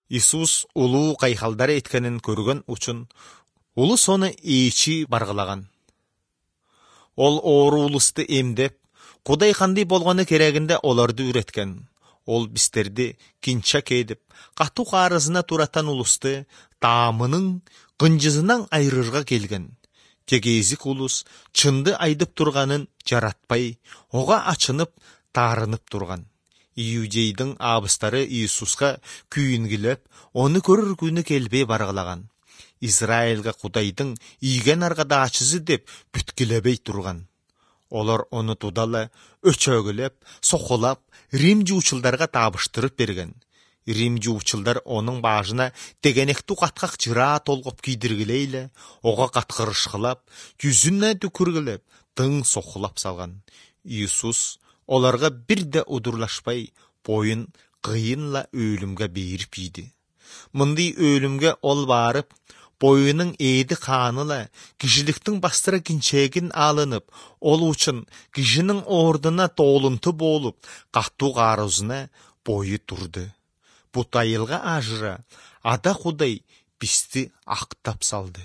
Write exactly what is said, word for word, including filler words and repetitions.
Иисус улуу кайхалдар эткенин көргөн үчүн улус ону ээчи баргылаган. Ол оору улусту эмдеп, Кудай кандай болгону керегинде олорду үйрөткөн. Ол бистерди кинчак эдип, катуу каарызына туратан улусту таамынын кынжысынан айырырга келген. Тегезик улус чынды айдып турганын жаратпай, ога ачынып, таарынып турган. Иудейдин абыстары Иисуска күйүнгүлөп, ону көрөр күнү келбей баргылаган. Израилга Кудайдын ийген аргадаачысы деп бүткүлөбөй турган. Олар ону тудала өчөгүлөп, сокулап, Рим жуучулдарга табыштырып берген. Рим жуучулдар онун башына дегенектүү каткак жыра толгоп кийдиргилейле, ого каткырышкылап, жүзүнө түкүргүлөп, тың сокулап салган. Иисус оларга бир да удурлашпай, боюн кыйынла өлүмгө берип ийди. Мындай өлүмгө ол барып, боюнун эди кааныла кишиликтин бастыра кинчегин алынып, ол үчүн кишинин ордуна тоолунту болуп, катуу каарызына бою турду. Бут айылга ажыра, Ада Кудай бизди актап салды.